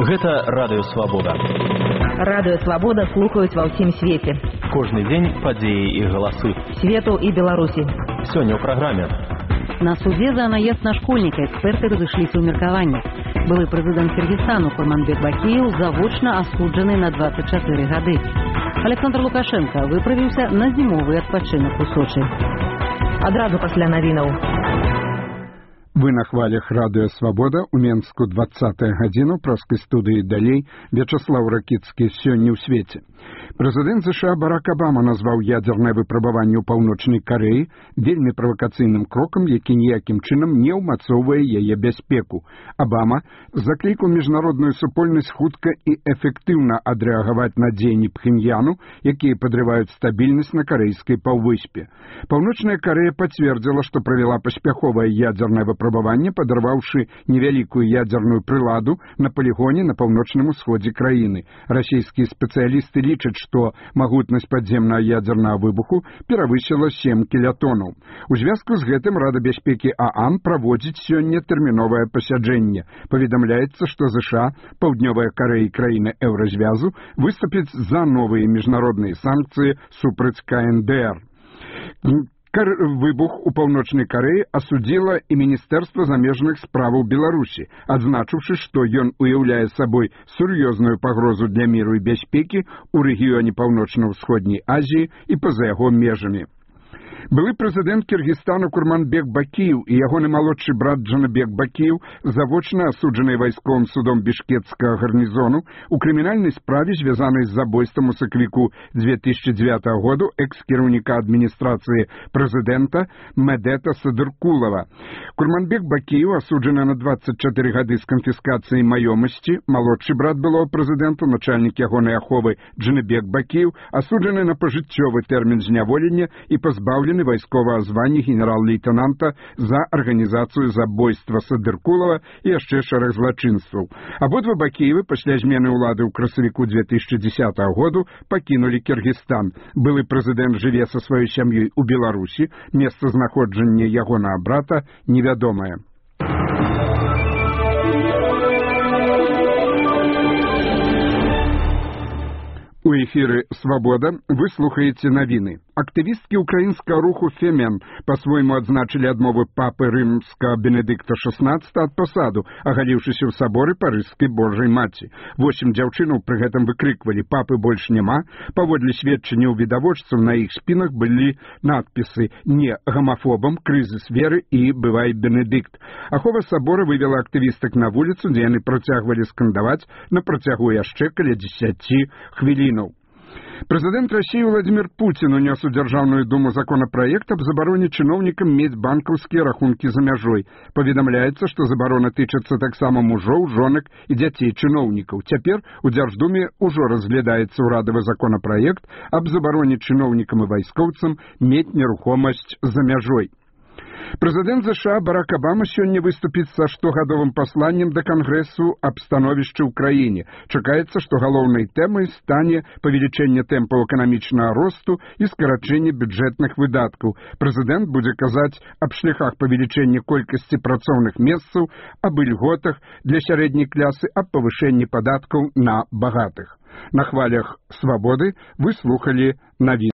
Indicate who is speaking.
Speaker 1: Гэта Радыё Свабода.
Speaker 2: Радыё Свабода слухаюць ва ўсім свеце.
Speaker 1: Кожны дзень падзеі і галасы.
Speaker 2: Свету і Беларусі.
Speaker 1: Сёння ў праграме.
Speaker 3: На суде за наезд на школьника эксперты разышліся ў меркаваннях. Былы прэзідэнт Кыргызстану Курманбек Бакиев завочна асуджаны на 24 гады. Александр Лукашенко выправіўся на зімовы адпачынак у Сочы.
Speaker 2: Адразу пасля навінаў.
Speaker 4: Вы на хвалях Радыё Свабода у Менску 20-я гадзіна ў праскай студыі далей Вячаслаў Ракіцкі сёння ў свеце. Прэзідэнт США Барак Абама назваў ядзернае выпрабаванне ў Паўночнай Карэі вельмі правакацыйным крокам, які ніякім чынам не ўмацоўвае яе бяспеку. Абама заклікаў міжнародную супольнасць хутка і эфектыўна адрэагаваць на дзеянні Пхеньяну, якія падрываюць стабільнасць на карэйскай паўвыспе. Паўночная Карэя пацвердзіла, што правяла паспяховае ядзернае выпрабаванне, падарваўшы невялікую ядзерную прыладу на палігоне на паўночным усходзе краіны. Расійскія спецыялісты лічаць, што магутнасць падземнага ядзернага выбуху перавысіла 7 кілятонаў. У звязку з гэтым Рада бяспекі ААН праводзіць сёння тэрміновае пасяджэнне. Паведамляецца, што ЗША, Паўднёвая Карэя і краіны еўразвязу выступяць за новыя міжнародныя санкцыі супраць КНДР. Выбух у Паўночнай Карэі асудзіла і Міністэрства замежных справаў Беларусі, адзначыўшы, што ён уяўляе сабой сур'ёзную пагрозу для міру і бяспекі ў рэгіёне Паўночна-ўсходняй Азіі і па-за яго межамі. Былы прэзідэнт Кыргызстану Курманбек Бакиев і ягоны малодшы брат Джанабек Бакиев, завочна асуджаныя вайсковым судом бішкекскага гарнізону у крымінальнай справе, звязанай з забойствам у сакавіку 2009 году экс-кіраўніка адміністрацыі прэзідэнта Медета Садыркулова. Курманбек Бакиев асуджаны на 24 гады з канфіскацыяй маёмасці. Малодшы брат былого прэзідэнта, начальнік ягонай аховы Джанабек Бакиев, асуджаны на пажыццёвы тэрмін зняволення і пазбаўлены вайсковага звання генерал-лейтенанта за арганізацыю забойства Садыркулова і яшчэ шэраг злачынстваў. Абодва Бакиевы пасля змены ўлады ў красавіку 2010 году пакінулі Кыргызстан. Былы прэзідэнт жыве са сваёй сям'ёй у Беларусі, месцазнаходжанне ягонага брата невядомае. У эфіры «Свабода» вы слухаеце навіны. Актывісткі ўкраінскага руху «Фемен» па-свойму адзначылі адмову папы рымскага Бенедыкта XVI ад пасаду, агаліўшыся ў саборы Парыжскай Божай Маці. 8 дзяўчынаў пры гэтым выкрыквалі «Папы больш няма». Паводле сведчанняў відавочцаў на іх спінах былі надпісы «Не гамафобам», «Крызіс веры» і «Бывай Бенедыкт». Ахова сабора вывела актывістак на вуліцу, дзе яны працягвалі скандаваць на працягу яшчэ каля 10 хвілінаў. Прэзідэнт Расіі Владзімір Пуцін унёс у Дзяржаўную думу законапраект аб забароне чыноўнікам мець банкаўскія рахункі за мяжой. Паведамляецца, што забарона тычыцца таксама мужоў, жонак і дзяцей чыноўнікаў. Цяпер у Дзярждуме ўжо разглядаецца ўрадавы законапраект аб забароне чыноўнікам і вайскоўцам мець нерухомасць за мяжой. Прэзідэнт США Барак Абама сёння выступіць са штогадовым пасланнем да Кангрэсу аб становішчы ў краіне. Чакаецца, што галоўнай тэмай стане павелічэнне тэмпаў эканамічнага росту і скарачэнне бюджэтных выдаткаў. Прэзідэнт будзе казаць аб шляхах павелічэння колькасці працоўных месцаў, аб ільготах для сярэдняй клясы, аб павышэнні падаткаў на багатых. На хвалях «Свабоды» вы слухалі навіны.